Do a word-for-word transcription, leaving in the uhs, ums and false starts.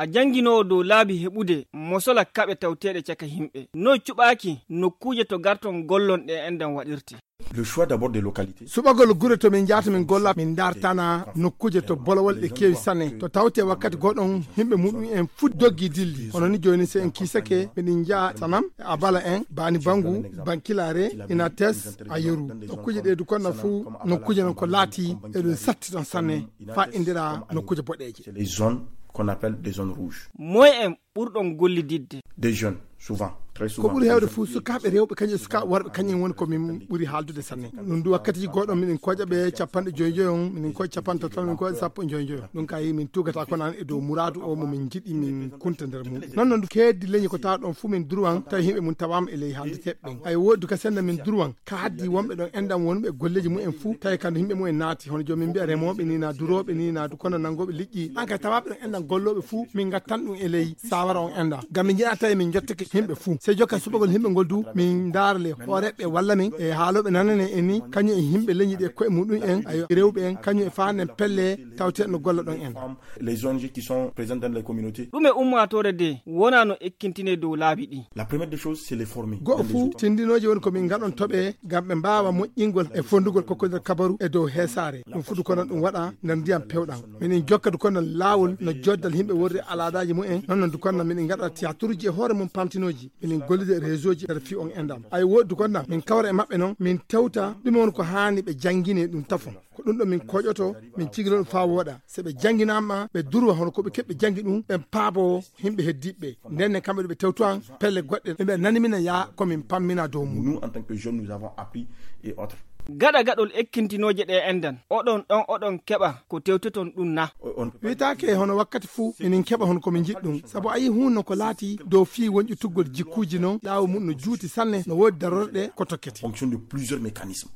Jannginoowo dow laabi heɓude mosola kaɓe tawteeɗe caka yimɓe. Noy cuɓaaki nokkuuje to garton gollon ɗe enɗan waɗirte? Le choix d'abord des localités. Suɓagol gure to min njahata min golla, min ndartana nokkuuje to bolowol ɗe keewi sanne. To tawte wakkati goɗon yimɓe muɗum en fuu doggi dilli. Hono ni jooni, so en kiisake, miɗen njaha Tanam, e Abala en, Bani Bangu, Bankilare, Inates, Ayeru. Nokkuuje ɗe du konna fuu, nokkuuje non ko laati eɗum satti ɗon sanne, faa indira nokkuuje boɗeeje. C'est les zones qu'on appelle des zones rouges. Moy en ɓurɗon gollididde? Des jeunes, souvent, très souvent. Ko ɓuri heewde fof, sukaaɓe rewɓe, kañum e sukaaɓe worɓe, kañum woni ko min ɓuri haaldude sanne. Ɗum du wakkati goɗɗo miɗen koƴa ɓe capanɗe joyi joyi on, miɗen koƴa capanɗe tati, miɗen koƴa sappo e joyi joyi on. Ɗum ka yi min tugata ko nan e dow muraadu o mo min njiɗi min kunta nder mum. Non non du keeddi leñi ko tawa ɗon fuu min durwan tawi yimɓe mum tawaama e ley haaldeteeɓe ɓen. Ay woodi ka senda min durwan ka haddi wonɓe ɗon enɗan wonɓe e golleeji mumen fuu, tawi kam yimɓe mumen naati, hono jooni min mbiya remooɓe ni, na durooɓe ni, na du kono nanngooɓe liƴƴi. An kay tawaaɓe ɗon enɗan gollooɓe fuu, min ngattan ɗum e ley saawara on enɗan. Ngam min njiɗaa tawi min njottake yimɓe fuu. Sey jokka suɓagol yimɓe ngol du, min ndaara le hooreeɓe walla min e haalooɓe nanane en ni, kañum e yimɓe leñi ɗe koye muɗum en, ayo rewɓe en, kañum e faa nden pelle tawte no golla ɗon enɗan. Les O N G qui sont présentes dans les communautés. Ɗume ummaatoore de wonaa no ekkintinee dow laabi ɗi? La première des choses, c'est les former. Go'o fuu, tindinooji woni ko min ngaɗon toɓe ngam ɓe mbaawa moƴƴingol e fonndugol kokkodir kabaru e dow heesaare. Ɗum fuu du kono ɗum waɗa nder ndiyam pewɗam. Minen jokka du kono laawol no joddal yimɓe worri alaadaaji mumen, non non du kono minen ngaɗa tiyaturuji e hoore mum pamtinooji. Minen gollida e réseauji nder fii on enɗan. Ay woodi du kono min kawra e maɓɓe non, min tewta ɗume woni ko haani ɓe janngine ɗum tafon. Ko ɗum ɗo min koƴoto, min cigiloo ɗum faa wooɗa. So ɓe jannginaama, ɓe durwa hono ko ɓe keɓɓe janngi ɗum, ɓen paaboo yimɓe heddiiɓe ɓe. Nden ne kamɓe ɗo ɓe tewto an, pelle goɗɗe, ɓe mbiya nani mina yaa ko min pammina dow mum. Nous, en tant que jeunes, nous avons appris et autres. Gaɗa gaɗol ekkintinooje ɗe enɗan, oɗon ɗon oɗon keɓa ko tewtoton ɗum na? Wiytaake hono wakkati fuu, minin keɓa hono ko min njiɗi ɗum. Sabu a yii huunde no ko laati dow fii wonƴutuggol jikkuuji non, laawo mum no juuti sanne, no woodi darorɗe ko tokkete. Fonction de plusieurs mécanismes.